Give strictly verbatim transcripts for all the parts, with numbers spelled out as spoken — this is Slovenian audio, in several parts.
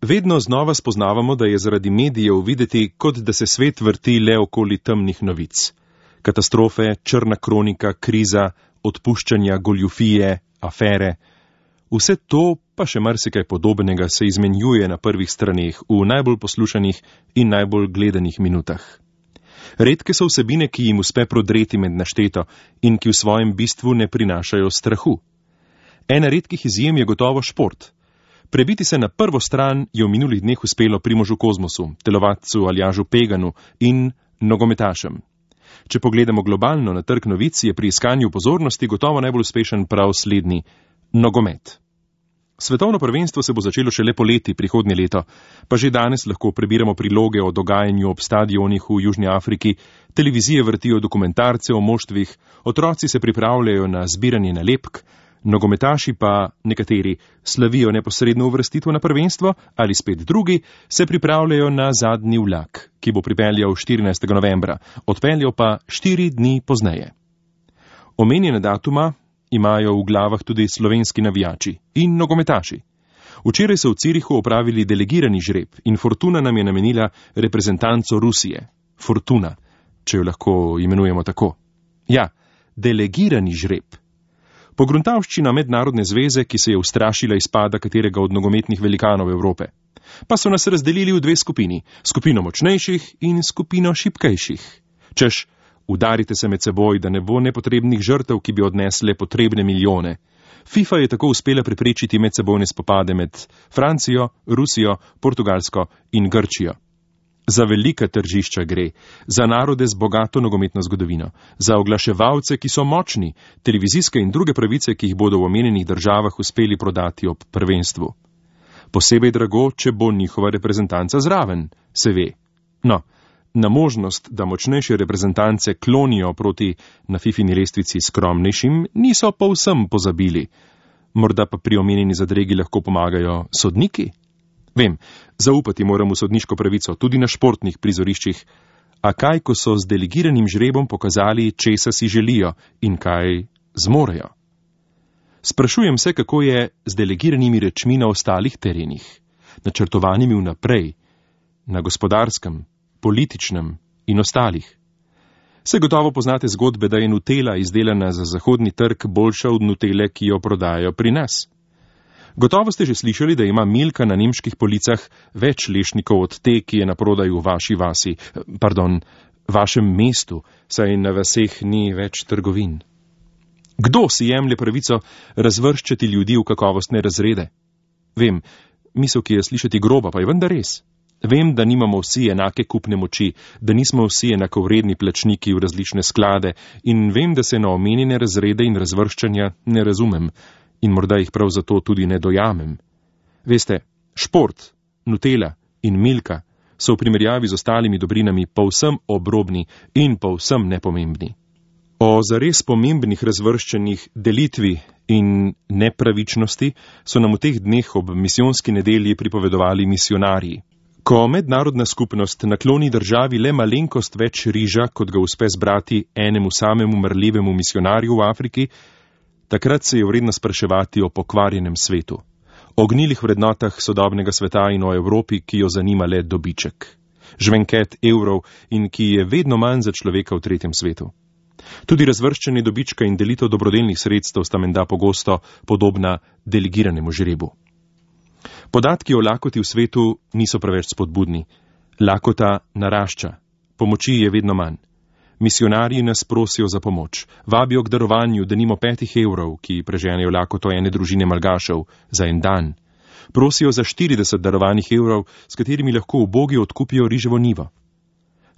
Vedno znova spoznavamo, da je zaradi medijev videti, kot da se svet vrti le okoli temnih novic. Katastrofe, črna kronika, kriza, odpuščanja, goljufije, afere. Vse to, pa še marsikaj podobnega, se izmenjuje na prvih straneh v najbolj poslušanih in najbolj gledanih minutah. Redke so vsebine, ki jim uspe prodreti med našteto in ki v svojem bistvu ne prinašajo strahu. Ena redkih izjem je gotovo šport. Prebiti se na prvo stran je v minulih dneh uspelo Primožu Kozmosu, telovadcu Aljažu Peganu in nogometašem. Če pogledamo globalno na trg novic, je pri iskanju pozornosti gotovo najbolj uspešen prav slednji – nogomet. Svetovno prvenstvo se bo začelo šele poleti prihodnje leto, pa že danes lahko prebiramo priloge o dogajanju ob stadionih v Južni Afriki, televizije vrtijo dokumentarce o moštvih, otroci se pripravljajo na zbiranje nalepk, nogometaši pa, nekateri, slavijo neposredno uvrstitev na prvenstvo ali spet drugi, se pripravljajo na zadnji vlak, ki bo pripeljal štirinajstega novembra, odpeljal pa štiri dni pozneje. Omenjene datuma imajo v glavah tudi slovenski navijači in nogometaši. Včeraj so v Cirihu opravili delegirani žreb in Fortuna nam je namenila reprezentanco Rusije. Fortuna, če jo lahko imenujemo tako. Ja, delegirani žreb. Pogruntavščina mednarodne zveze, ki se je ustrašila izpada katerega od nogometnih velikanov Evrope. Pa so nas razdelili v dve skupini, skupino močnejših in skupino šibkejših. Češ, udarite se med seboj, da ne bo nepotrebnih žrtev, ki bi odnesle potrebne milijone. FIFA je tako uspela preprečiti medsebojne spopade med Francijo, Rusijo, Portugalsko in Grčijo. Za velika tržišča gre, za narode z bogato nogometno zgodovino, za oglaševalce, ki so močni, televizijske in druge pravice, ki jih bodo v omenjenih državah uspeli prodati ob prvenstvu. Posebej drago, če bo njihova reprezentanca zraven, se ve. No, na možnost, da močnejše reprezentance klonijo proti na fifini lestvici skromnejšim, niso povsem pozabili. Morda pa pri omenjeni zadregi lahko pomagajo sodniki? Vem, zaupati moram v sodniško pravico, tudi na športnih prizoriščih. A kaj, ko so z delegiranim žrebom pokazali, česa si želijo in kaj zmorejo? Sprašujem se, kako je z delegiranimi rečmi na ostalih terenih, načrtovanimi vnaprej, na gospodarskem, političnem in ostalih. Se gotovo poznate zgodbe, da je Nutella izdelana za zahodni trg boljša od Nutelle, ki jo prodajajo pri nas. Gotovo ste že slišali, da ima Milka na nemških policah več lešnikov od te, ki je na prodaj v vaši vasi, pardon, vašem mestu, saj na vaseh ni več trgovin. Kdo si jemlje pravico razvrščati ljudi v kakovostne razrede? Vem, misel, ki je slišati groba, pa je vendar res. Vem, da nimamo vsi enake kupne moči, da nismo vsi enakovredni plačniki v različne sklade in vem, da se na omenjene razrede in razvrščanja ne razumem in morda jih prav zato tudi ne dojamem. Veste, šport, Nutella in Milka so v primerjavi z ostalimi dobrinami povsem obrobni in povsem nepomembni. O zares pomembnih razvrščanjih, delitvi in nepravičnosti so nam v teh dneh ob misijonski nedelji pripovedovali misionarji. Ko mednarodna skupnost nakloni državi le malenkost več riža, kot ga uspe zbrati enemu samemu mrljivemu misionarju v Afriki, takrat se je vredno spraševati o pokvarjenem svetu, o gnilih vrednotah sodobnega sveta in o Evropi, ki jo zanima le dobiček, žvenket evrov in ki je vedno manj za človeka v tretjem svetu. Tudi razvrščanje dobička in delitev dobrodelnih sredstev sta menda pogosto podobna delegiranemu žrebu. Podatki o lakoti v svetu niso preveč spodbudni. Lakota narašča, pomoči je vedno manj. Misionarji nas prosijo za pomoč, vabijo k darovanju denimo petih evrov, ki preženejo lakoto ene družine malgašev za en dan. Prosijo za štirideset darovanih evrov, s katerimi lahko ubogi odkupijo riževo nivo.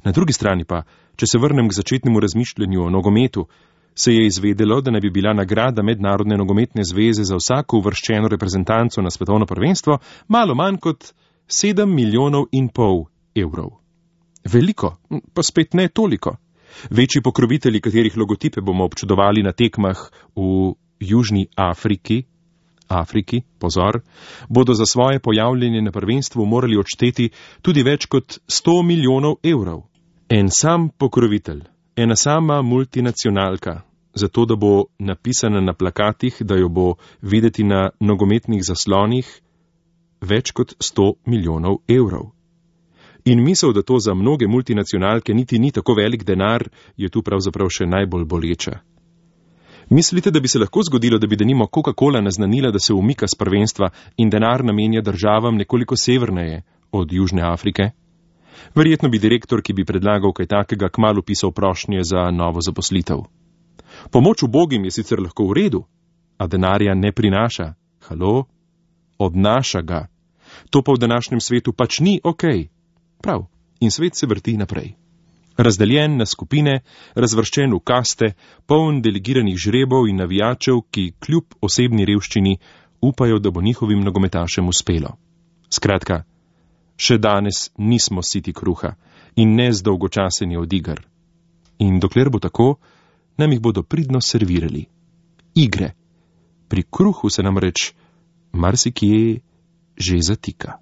Na drugi strani pa, če se vrnem k začetnemu razmišljanju o nogometu, se je izvedelo, da naj bi bila nagrada Mednarodne nogometne zveze za vsako uvrščeno reprezentanco na svetovno prvenstvo malo manj kot sedem milijonov in pol evrov. Veliko, pa spet ne toliko. Večji pokrovitelji, katerih logotipe bomo občudovali na tekmah v Južni Afriki, Afriki, pozor, bodo za svoje pojavljanje na prvenstvu morali odšteti tudi več kot sto milijonov evrov. En sam pokrovitelj, ena sama multinacionalka, zato da bo napisana na plakatih, da jo bo videti na nogometnih zaslonih, več kot sto milijonov evrov. In misel, da to za mnoge multinacionalke niti ni tako velik denar, je tu pravzaprav še najbolj boleča. Mislite, da bi se lahko zgodilo, da bi denimo Coca-Cola naznanila, da se umika s prvenstva in denar namenja državam nekoliko severneje od Južne Afrike? Verjetno bi direktor, ki bi predlagal kaj takega, kmalu pisal prošnje za novo zaposlitev. Pomoč ubogim je sicer lahko v redu, a denarja ne prinaša. Halo? Odnaša ga. To pa v današnjem svetu pač ni okej. Prav, in svet se vrti naprej. Razdeljen na skupine, razvrščen v kaste, poln delegiranih žrebov in navijačev, ki kljub osebni revščini upajo, da bo njihovim nogometašem uspelo. Skratka, še danes nismo siti kruha in ne zdolgočaseni od iger. In dokler bo tako, nam jih bodo pridno servirali. Igre. Pri kruhu se namreč marsikje že zatika.